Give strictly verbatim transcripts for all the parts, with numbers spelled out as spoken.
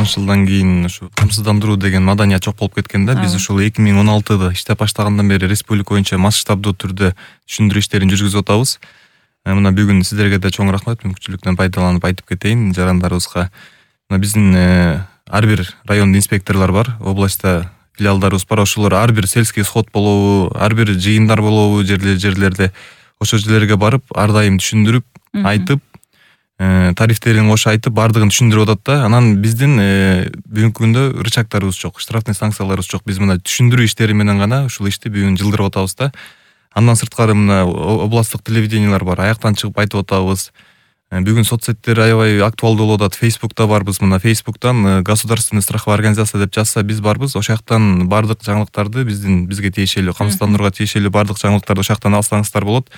тогузунчу жылдан кийин ушу камсыздандыруу деген маданият жок болуп кеткен да. Биз ушул эки миң он алтыда иштеп баштагандан бери республика боюнча масштабдуу түрдө түшүндүрүү иштерин жүргүзүп атабыз. Мына бүгүн сиздерге да чоң рахмат, мүмкүнчүлүктөн пайдаланып айтып кетейин жарандарыбызга. Мына биздин ар бир райондо инспекторлор бар, областта филиалдарыбыз бар. Ошолор ар бир сельский сход болобу, ар бир жыйындар болобу жерлерде ошол жерлерге барып, ар дайым түшүндүрүп, айтып, тарифтерин кошо айтып, бардыгын түшүндүрүп атат да. Анан биздин бүгүнкү күндө рычагтарыбыз жок, штрафный санкцияларыбыз жок. Биз мына түшүндүрүү иштери менен гана ушул ишти бүгүн жылдырып атабыз да. Андан сырткары мына областтык телевидениялар бар, аяктан чыгып айтып атабыз. Бүгүн соцсеттер аябай актуалдуу болуп атат. Фейсбукта барбыз, мына Фейсбуктан государственная страховая организация деп жазса биз барбыз. Ошол жактан бардык жаңылыктарды биздин бизге тиешелүү, камсыздандырууга тиешелүү бардык жаңылыктарды ошол жактан алсаңыздар болот.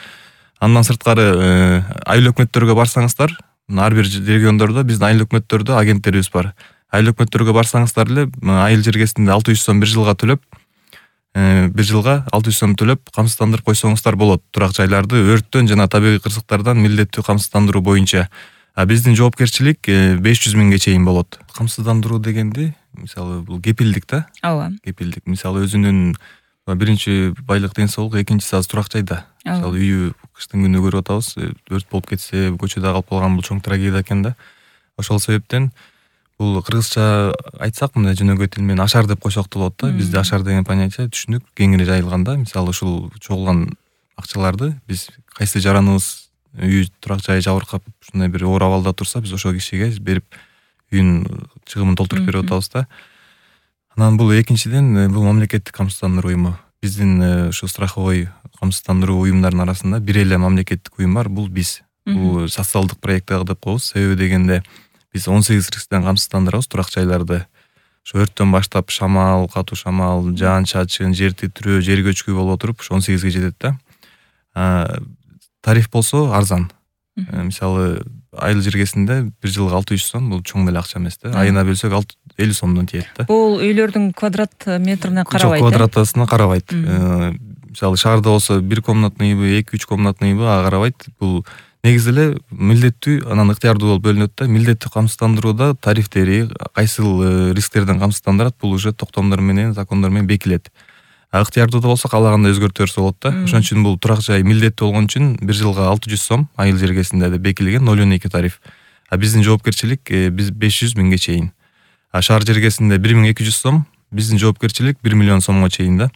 Андан сырткары айыл өкмөттөргө барсаңыздар, ар бир региондордо биздин айыл өкмөттөрдө агенттерибиз бар. Айыл өкмөттөргө барсаңыздар эле айыл жергесинде алты жүз сом бир жылга төлөп, бир жылга алты жүз сом төлөп камсыздандырып койсоңуздар болот. Турак жайларды өрттөн жана табигый кырсыктардан милдеттүү камсыздандыруу боюнча. А биздин жоопкерчилик беш жүз миңге чейин болот. Камсыздандыруу дегенди, мисалы, бул кепилдик да. Ооба. Кепилдик. Мисалы өзүнүн биринчи байлык ден соолук, экинчиси азыр турак жайда. Мисалы үйү кыштын күнү көрүп атабыз, өрт болуп кетсе, көчөдө калып калган бул чоң трагедия экен да. Ошол себептен бул кыргызча айтсак, мындай жөнөкөй тил менен ашар деп койсок да болот да. Бизде ашар деген понятие түшүнүк кеңири жайылган да. Мисалы ушул чогулган акчаларды биз кайсы жараныбыз үйү турак жайы жабыркап ушундай бир оор абалда турса, биз ошол кишиге берип үйүнүн чыгымын толтуруп берип атабыз да. Анан бул экинчиден бул мамлекеттик камсыздандыруу уюму. Биздин ушу страховой камсыздандыруу уюмдарынын арасында бир эле мамлекеттик уюм бар, бул биз. Бул социалдык проект деп коебуз. Себеби дегенде биз он сегиз рисктен камсыздандырабыз турак жайларды. Ошо өрттөн баштап шамал, катуу шамал, жаан чачын, жер титирөө, жер көчкү болуп отуруп ошо он сегизге жетет да. Тариф болсо арзан. Мисалы, айыл жергесинде бир жылга алты жүз сом, бул чоң деле акча эмес да. Айына бөлсөк элүү сомдон тиет да. Бул үйлөрдүн квадрат метрине карабайт. Жок, квадратасына карабайт. Мисалы, шаарда болсо бир комнатныйбы, эки үч комнатныйбы ага карабайт. Бул негизи эле милдеттүү, анан ыктыярдуу болуп бөлүнөт да. Милдеттүү камсыздандырууда тарифтери, кайсыл рисктерден камсыздандырат, бул уже токтомдор менен, закондор менен бекилет. А ыктыярдууда болсо каалагандай өзгөртө берсе болот да. Ошон үчүн бул турак жай милдеттүү болгон үчүн бир жылга алты жүз сом айыл жергесинде деп бекилген ноль он эки тариф. А биздин жоопкерчилик биз беш жүз миңге чейин. А шаар жергесинде бир миң эки жүз сом, биздин жоопкерчилик бир миллион сомго чейин да.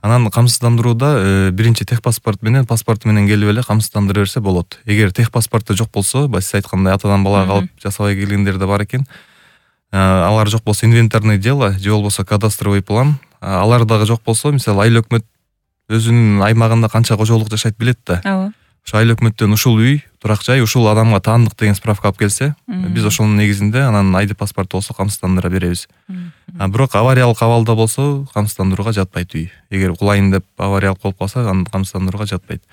Анан камсыздандырууда биринчи техпаспорт менен, паспорт менен келип эле камсыздандыра берсе болот. Эгер техпаспортто жок болсо, сиз айткандай атадан балага калып жасабай келгендер да бар экен. Алар жок болсо инвентарное дело, же болбосо кадастровый план, алар дагы жок болсо, мисалы, айыл өкмөт өзүнүн аймагында канча кожолук жашайт билет да. Ооба. Ошо айыл өкмөттөн ушул үй, турак жай, ушул адамга таандык деген справка алып келсе, биз ошонун негизинде анан айди паспорт болсо камсыздандыра беребиз. Бирок авариялык абалда болсо камсыздандырууга жатпайт үй. Эгер кулайын деп авариялык болуп калса, аны камсыздандырууга жатпайт.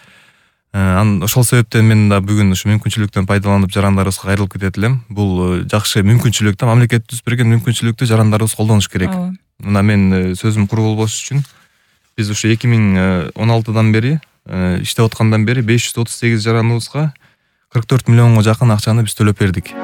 Анан ошол себептен мен да бүгүн ушу мүмкүнчүлүктөн пайдаланып жарандарыбызга кайрылып кетет элем. Бул жакшы мүмкүнчүлүк да, мамлекет түзүп берген мүмкүнчүлүктү жарандарыбыз колдонуш керек. Мына мен сөзүм куру болбош үчүн биз ушу эки миң он алтыдан бери иштеп аткандан бери беш жүз отуз сегиз жараныбызга кырк төрт миллионго жакын акчаны биз төлөп бердик.